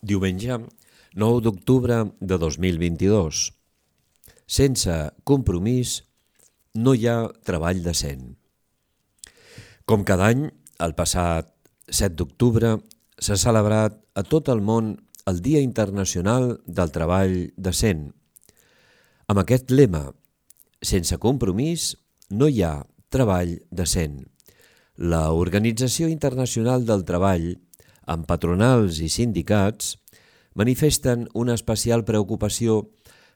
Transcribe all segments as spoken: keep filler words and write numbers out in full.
Diumenge, nou d'octubre de dos mil vint-i-dos. Sense compromís no hi ha treball decent. Com cada any, el passat set d'octubre s'ha celebrat a tot el món el Dia Internacional del Treball Decent. Amb aquest lema, sense compromís no hi ha treball decent. La Organització Internacional del Treball, amb patronals i sindicats, manifesten una especial preocupació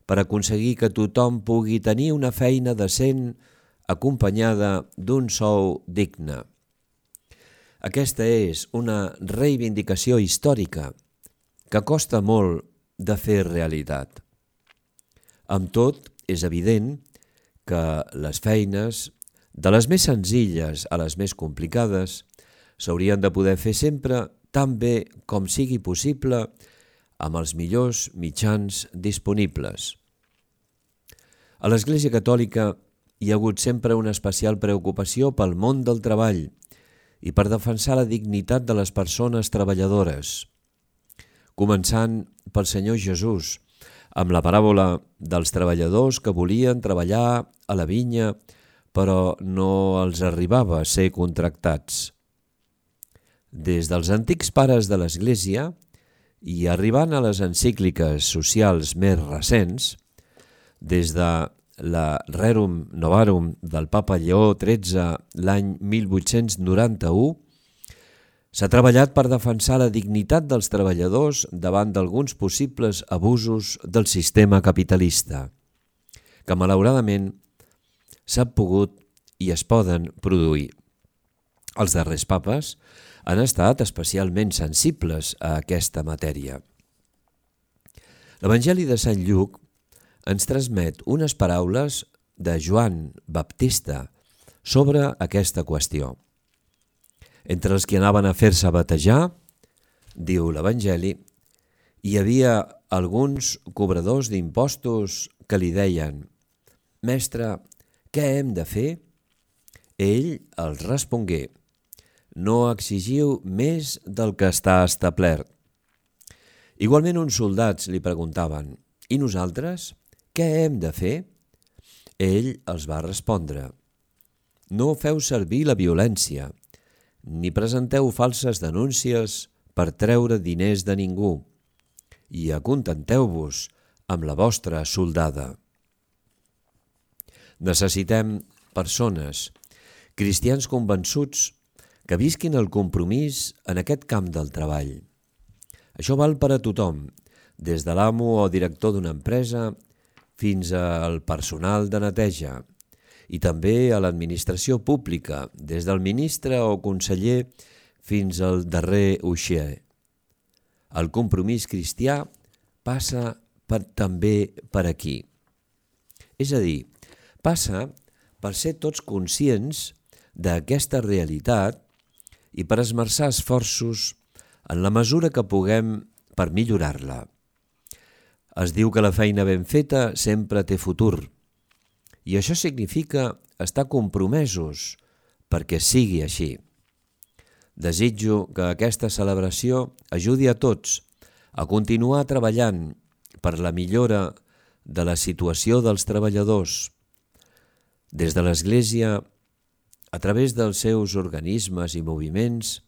per aconseguir que tothom pugui tenir una feina decent acompanyada d'un sou digne. Aquesta és una reivindicació històrica que costa molt de fer realitat. Amb tot, és evident que les feines, de les més senzilles a les més complicades, s'haurien de poder fer sempre tan bé com sigui possible amb els millors mitjans disponibles. A l'Església Catòlica hi ha hagut sempre una especial preocupació pel món del treball i per defensar la dignitat de les persones treballadores, començant pel Senyor Jesús, amb la paràbola dels treballadors que volien treballar a la vinya però no els arribava a ser contractats. Des dels antics pares de l'Església i arribant a les encícliques socials més recents, des de la Rerum Novarum del Papa Lleó tretze l'any mil vuit-cents noranta-u, s'ha treballat per defensar la dignitat dels treballadors davant d'alguns possibles abusos del sistema capitalista, que malauradament s'han pogut i es poden produir. Els darrers papes han estat especialment sensibles a aquesta matèria. L'Evangeli de Sant Lluc ens transmet unes paraules de Joan Baptista sobre aquesta qüestió. Entre els que anaven a fer-se batejar, diu l'Evangeli, hi havia alguns cobradors d'impostos que li deien: «Mestre, què hem de fer?» Ell els respongué: «No exigiu més del que està establert». Igualment uns soldats li preguntaven: «I nosaltres, què hem de fer?» Ell els va respondre: «No feu servir la violència, ni presenteu falses denúncies per treure diners de ningú, i acontenteu-vos amb la vostra soldada». Necessitem persones, cristians convençuts, que visquin el compromís en aquest camp del treball. Això val per a tothom, des de l'amo o director d'una empresa fins al personal de neteja, i també a l'administració pública, des del ministre o conseller fins al darrer uixer. El compromís cristià passa per, també per aquí. És a dir, passa per ser tots conscients d'aquesta realitat i per esmerçar esforços en la mesura que puguem per millorar-la. Es diu que la feina ben feta sempre té futur, i això significa estar compromesos perquè sigui així. Desitjo que aquesta celebració ajudi a tots a continuar treballant per la millora de la situació dels treballadors. Des de l'Església, a través dels seus organismes i moviments,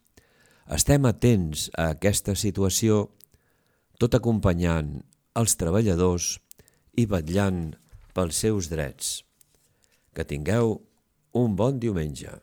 estem atents a aquesta situació, tot acompanyant els treballadors i vetllant pels seus drets. Que tingueu un bon diumenge.